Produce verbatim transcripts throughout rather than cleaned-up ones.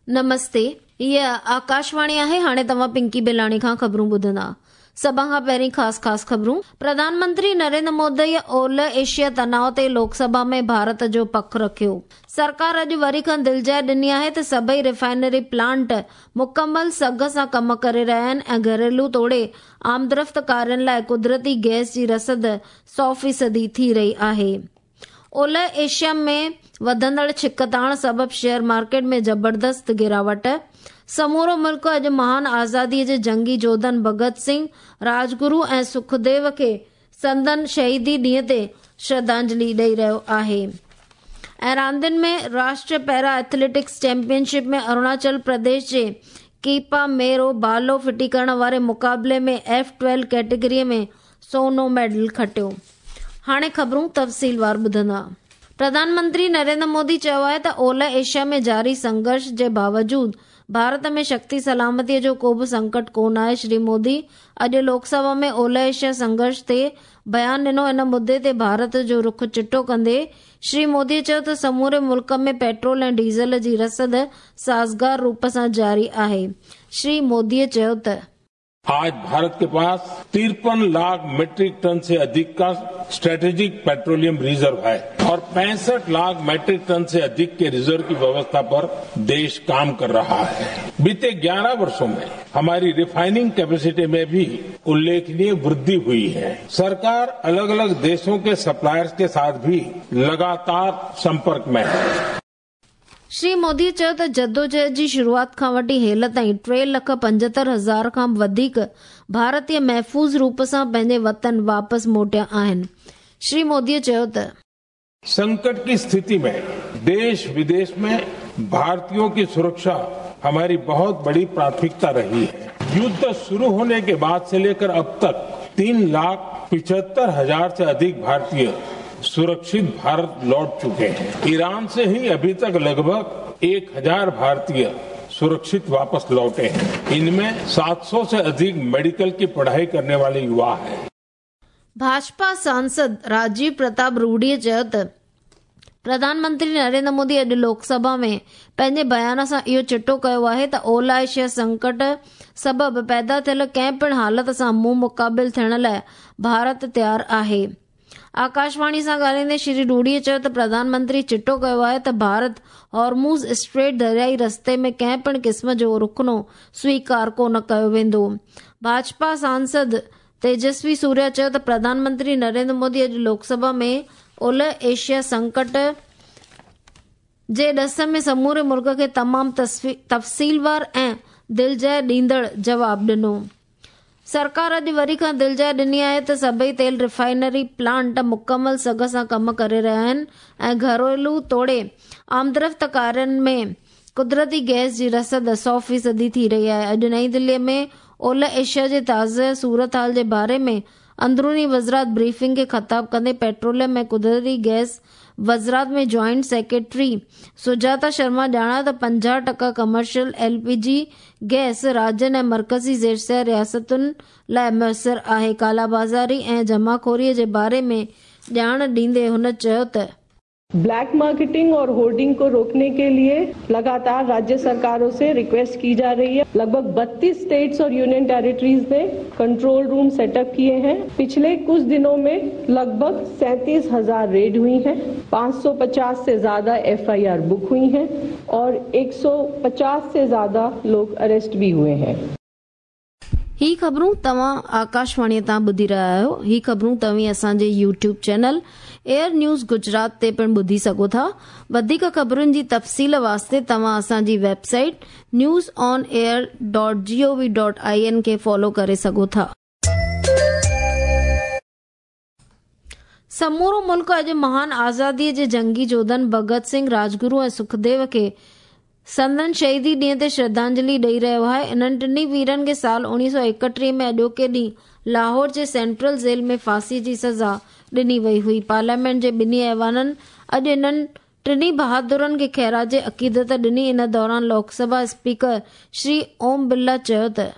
नमस्ते, हीअ आकाशवाणी आहे। हाणे तव्हां पिंकी बिलाणी खां ख़बरूं ॿुधंदा। सभ खां पहिरीं ख़ासि ख़ासि ख़बरूं। प्रधानमंत्री नरेंद्र मोदी ओलह एशिया तनाव ते लोकसभा में भारत जो पख रखियो। सरकार अॼु वरी खां दिलजाइ ॾिनी आहे त सभई रिफाइनरी प्लांट मुकमल सघ सां कम करे रहिया आहिनि ऐं घरेलू तोड़े आमदरफ़्त कार्यनि लाइ कुदरती गैस जी रसद सौ फ़ीसदी थी रही आहे। ओलह एशिया में वधंदड़ छिकताण सबब शेयर मार्केट में ज़बरदस्त गिरावट। समूरो मुल्क अॼु महान आज़ादीअ जे जंगी जोधन भगत सिंह, राजगुरू ऐं सुखदेव खे संदन शहीदी ॾींहं ते श्रद्धांजलि ॾेई रहियो आहे। ऐं रांदियुनि में राष्ट्रीय पैरा एथलेटिक्स चैंपियनशिप में अरुणाचल प्रदेश जे कीपा मेरो बालो फिटी करण वारे मुक़ाबले में एफ ट्वेल्व कैटेगरीअ में सोनो मेडल खटियो। हाणे ख़बरूं तफ़सीलवार ॿुधंदा। प्रधानमंत्री नरेंद्र मोदी चयो आहे त ओलह एशिया में जारी संघर्ष जे बावजूद भारत में शक्ति सलामतीअ जो को बि संकट कोन आहे। श्री मोदी अॼु लोकसभा में ओलह एशिया संघर्ष ते बयान ॾिनो। इन मुद्दे ते भारत जो रुख चिटो कंदे श्री मोदी चयो त समूरे मुल्क में पेट्रोल ऐं डीज़ल जी रसद साज़गार रूप सां जारी आहे। श्री मोदीअ चयो त आज भारत के पास तिरपन लाख मीट्रिक टन से अधिक का स्ट्रेटेजिक पेट्रोलियम रिजर्व है और पैंसठ लाख मीट्रिक टन से अधिक के रिजर्व की व्यवस्था पर देश काम कर रहा है। बीते ग्यारह वर्षों में हमारी रिफाइनिंग कैपेसिटी में भी उल्लेखनीय वृद्धि हुई है। सरकार अलग अलग देशों के सप्लायर्स के साथ भी लगातार संपर्क में है। श्री मोदी चयो त जदोजहद जी शुरूआत खां वठी हेल ताईं टे लख पंजहतरि हज़ार खां वधीक भारतीय महफ़ूज़ रूप सां पंहिंजे वतन वापसि मोटिया आहिनि। श्री मोदी चयो त संकट की स्थिति में देश विदेश में भारतीयों की सुरक्षा हमारी बहुत बड़ी प्राथमिकता रही है। युद्ध शुरू होने के बाद से लेकर अब तक तीन लाख पिछहत्तर हजार से अधिक भारतीय सुरक्षित भारत लौट चुके हैं। ईरान से ही अभी तक लगभग एक हजार भारतीय सुरक्षित वापस लौटे हैं। इनमें सात सौ से अधिक मेडिकल की पढ़ाई करने वाले युवा हैं। भाजपा सांसद राजीव प्रताप रूडीअ चयो त प्रधानमंत्री नरेंद्र मोदी अॼु लोकसभा में पंहिंजे बयान सां इहो चिटो कयो आहे त ओलह एशिया संकट सबब पैदा थियल कंहिं पिणु हालत सां मुंहुं मुक़ाबिल थियण लाइ भारत तयारु आहे। आकाशवाणी सां ॻाल्हाईंदे श्री रूडीअ चयो त प्रधानमंत्री चिटो कयो आहे त भारत हॉर्मुज़ स्ट्रेट दरियाई रस्ते में कंहिं पिणु क़िस्म जो रुखनो स्वीकार कोन कयो वेंदो। भाजपा सांसद तेजस्वी सूर्या चयो त प्रधानमंत्री नरेंद्र मोदी अॼु लोकसभा में ओलह एशिया संकट जे ॾस में समूरे मुल्क खे तमामु तफ़सीलवार ऐं दिलजाइ ॾींदड़ जवाब ॾिनो। सरकार अॼु वरी खां दिलजाइ ॾिनी आहे त सभई तेल रिफाइनरी प्लांट मुकमल सघ सां कम करे रहिया आहिनि ऐं घरेलू तोड़े आमदरफ़्त कार्यनि में कुदरती गैस जी रसद सौ फ़ीसदी थी रही आहे। अॼु नई दिल्लीअ में ओलह एशिया जे ताज़े सूरत हाल जे बारे में अंदरूनी वज़रात ब्रीफिंग खे ख़िताब कंदे पेट्रोलियम ऐं कुदरती गैस वज़रात में जॉइंट सेक्रेटरी सुजाता शर्मा ॼाणायो त पंजाह टका कमर्शियल एलपीजी गैस राज्यनि ऐं मर्कज़ी ज़ेर रियासतुनि लाइ मुयसर आहे। कालाबाज़ारी ऐं जमाखोरीअ जे बारे में ॼाण ॾींदे हुन चयो त ब्लैक मार्केटिंग और होर्डिंग को रोकने के लिए लगातार राज्य सरकारों से रिक्वेस्ट की जा रही है। लगभग बत्तीस स्टेट्स और यूनियन टेरिटरीज ने कंट्रोल रूम सेटअप किए हैं। पिछले कुछ दिनों में लगभग सैंतीस हजार रेड हुई हैं, पाँच सौ पचास से ज्यादा एफ I R book हुई हैं और एक सौ पचास से ज्यादा लोग अरेस्ट भी हुए हैं। ही ख़बरूं तव्हां आकाशवाणीअ तां ॿुधी रहिया आहियो। ही ख़बरूं तव्हीं असांजे YouTube channel air news Gujarat ते पिणु ॿुधी सघो था। वधीक ख़बरुनि जी तफ़सील वास्ते तव्हां असांजी website news on air dot G O V dot I N खे फॉलो करे सघो था। समूरो मुल्क अॼु महान आज़ादीअ जे जंगी जोधन भगत सिंह, राजगुरू ऐं सुखदेव खे संदन शहीदी ॾींहं ते श्रद्धांजलि ॾेई रहियो आहे। इन्हनि टिन्ही वीरनि खे साल उणिवीह सौ एकटीह में अॼोके ॾींहुं लाहौर जे सेंट्रल जेल में फांसी जी सज़ा ॾिनी वई हुई। पार्लियामेंट जे ॿिन्ही ऐवाननि अॼु इन्हनि टिन्ही बहादुरनि खे ख़ैराज अक़ीदत ॾिनी। इन दौरान लोकसभा स्पीकर श्री ओम बिरला चयो त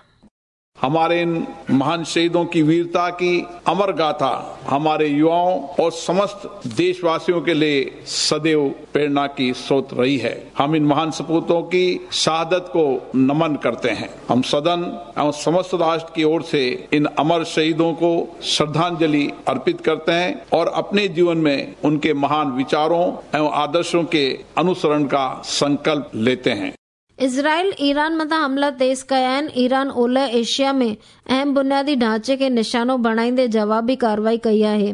हमारे इन महान शहीदों की वीरता की अमर गाथा हमारे युवाओं और समस्त देशवासियों के लिए सदैव प्रेरणा की स्रोत रही है। हम इन महान सपूतों की शहादत को नमन करते हैं। हम सदन एवं समस्त राष्ट्र की ओर से इन अमर शहीदों को श्रद्धांजलि अर्पित करते हैं और अपने जीवन में उनके महान विचारों एवं आदर्शों के अनुसरण का संकल्प लेते हैं। इज़राइल ईरान मथां हमला तेज़ कया आहिनि। ईरान ओलह एशिया में अहम बुनियादी ढांचे खे निशानो बणाईंदे जवाबी कार्रवाई कई आहे।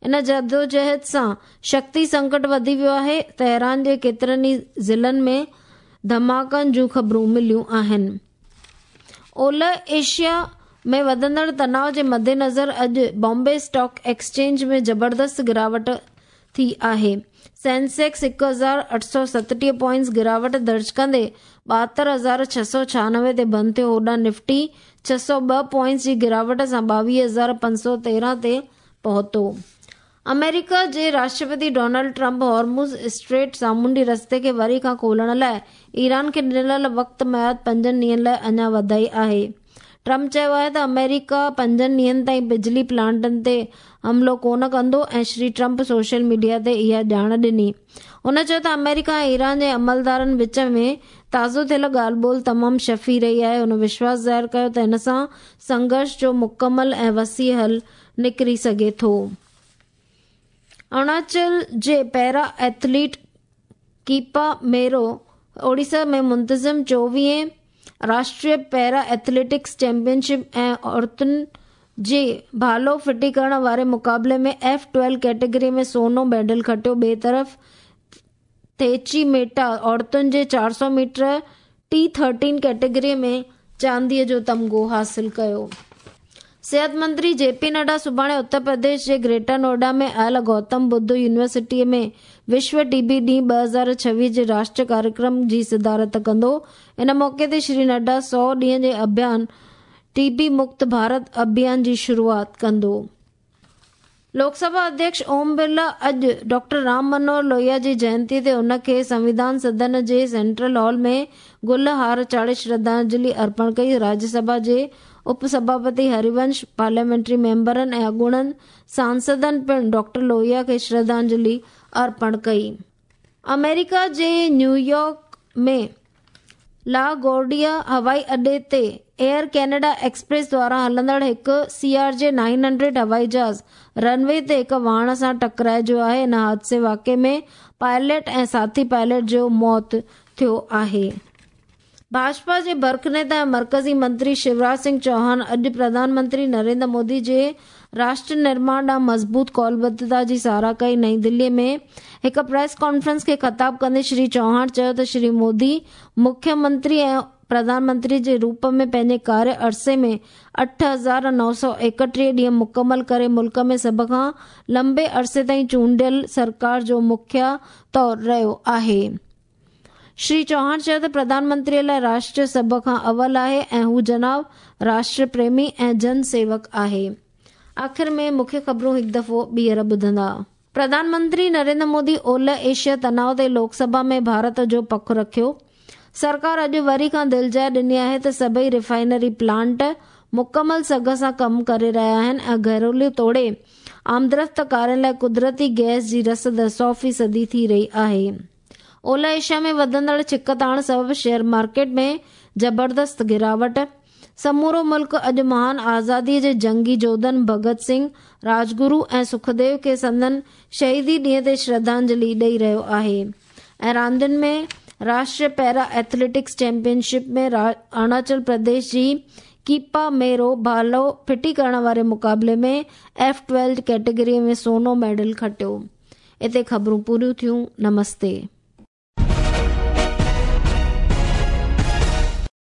इन जदोजहद सां शक्ति संकट वधी वियो आहे। तेहरान जे केतिरनि ई ज़िलनि में धमाकनि जूं ख़बरूं मिलियूं आहिनि। ओलह एशिया में वधंदड़ तनाव जे मद्देनज़र अॼु बॉम्बे स्टॉक एक्सचेंज में ज़बरदस्त गिरावट थी आहे। सेंसेक्स हिकु हज़ार अठ सौ सतटीह पॉइंट्स गिरावट दर्ज कंदे ॿाहतरि हज़ार छह सौ छियानवे ते बंदि थियो। होॾां निफ्टी छह सौ ॿ पॉइंट्स जी गिरावट सां ॿावीह हज़ार पंज सौ तेरहं ते पहुतो। अमेरिका जे राष्ट्रपति डोनाल्ड ट्रंप हॉर्मुज़ स्ट्रेट सामुंडी रस्ते खे वरी खां खोलण लाइ ईरान खे ॾिनल वक़्त मयाद पंजनि ॾींहनि लाइ अञा वधाई आहे। ट्रंप चयो आहे त अमेरिका पंजनि ॾींहनि ताईं बिजली प्लांटनि ते हमलो कोन कंदो ऐं श्री ट्रंप सोशल मीडिया ते इहा ॼाण ॾिनी। हुन चयो त अमेरिका ऐं ईरान जे अमलदारनि विच में ताज़ो थियल ॻाल्हि ॿोल तमामु शफ़ी रही आहे। हुन विश्वास ज़ाहिर कयो त हिन सां संघर्ष जो मुकमल ऐं वसी हल निकिरी सघे थो। अरुणाचल जे पैरा एथलीट कीपा मेरो ओडिशा में मुंतज़िम चोवीह राष्ट्रीय पैरा एथलेटिक्स चैंपियनशिप ऐं औरतुनि जे भालो फिटी करण वारे मुक़ाबले में एफ ट्वेल्व कैटेगरी में सोनो मेडल खटियो। ॿिए तरफ़ थेची मेटा औरतुनि जे चारि सौ मीटर टी थर्टीन कैटेगरी में चांदीअ जो तमगो हासिल कयो। सिहत मंत्री जेपी नड्डा सुभाणे उत्तर प्रदेश जे ग्रेटर नोएडा में आयल गौतम बुद्ध यूनिवर्सिटीअ में विश्व टीबी ॾींहुं ॿ हज़ार छवीह जे राष्ट्रीय कार्यक्रम जी सदारत कंदो। इन मौक़े ते श्री नड्डा सौ ॾींहं जे अभियान टीबी मुक्त भारत अभियान जी शुरूआत कंदो। लोकसभा अध्यक्ष ओम बिरला अॼु डॉक्टर राम मनोहर लोहिया जी जयंती ते उनखे संविधान सदन जे सेंट्रल हॉल में गुल हार चाढ़े श्रद्धांजलि अर्पण कई। राज्यसभा जे उपसभापति हरिवंश, पार्लियामेंट्री मेंबरनि ऐं अॻूणनि सांसदनि पिणु डॉक्टर लोहिया खे श्रद्धांजलि अर्पण कई। अमेरिका जे न्यूयॉर्क में ला गोर्डिया हवाई अड्डे ते एयर कनाडा एक्सप्रेस द्वारा हलंदड़ हिकु C R J nine hundred हवाई जहाज़ रनवे ते हिकु वाण सां टकराइजो आहे। इन हादसे वाक़े में पायलट ऐं साथी पायलट जो मौत थियो आहे। भाजपा जे बर्ख नेता ऐं मर्कज़ी मंत्री शिवराज सिंह चौहान अॼु प्रधानमंत्री नरेंद्र मोदी जे राष्ट्र निर्माण ॾांहुं मज़बूत कौलबद्धता जी सराह कई। नई दिल्लीअ में हिकु प्रेस कॉन्फ्रेंस खे ख़िताब कंदे श्री चौहान चयो त श्री मोदी मुख्यमंत्री ऐं प्रधानमंत्री जे रूप में पंहिंजे कार्य अरसे में अठ हज़ार नौ सौ एकटीह ॾींहं मुकमल करे मुल्क में सभ खां लंबे अरसे ताईं चूंडियल सरकार जो मुखिया तौर रहियो आहे। श्री चौहान चयो त प्रधानमंत्रीअ लाइ राष्ट्र सभ खां अवल आहे ऐं हू जनाब राष्ट्र प्रेमी ऐं जन सेवक आहे। आख़िर में मुख्य ख़बरूं हिकु दफ़ो ॿीहर ॿुधंदा। प्रधानमंत्री नरेंद्र मोदी ओलह एशिया तनाव ते लोकसभा में भारत जो पख रखियो। सरकार अॼु वरी खां दिलजाइ ॾिनी आहे त सभई रिफाइनरी प्लांट मुकमल सघ सां कमु करे रहिया आहिनि ऐं घरेलू तोड़े आमदरफ़्त कारनि लाइ कुदरती गैस जी रसद सौ फ़ीसदी थी रही आहे। ओलह एशिया में वधंदड़ छिकताण सबबि शेयर मार्केट में ज़बरदस्त गिरावट। समूरो मुल्क अॼु महान आज़ादीअ जे जंगी जोधन भगत सिंह, राजगुरू ऐं सुखदेव खे संदन शहीदी ॾींहं ते श्रद्धांजलि ॾेई रहियो आहे। ऐं रांदियुनि में राष्ट्रीय पैरा एथलेटिक्स चैंपियनशिप में अरुणाचल प्रदेश जी कीपा मेरो भालो फिटी करण वारे मुक़ाबले में एफ ट्वेल्व कैटेगरी में सोनो मेडल खटियो। हिते ख़बरूं पूरियूं थियूं। नमस्ते।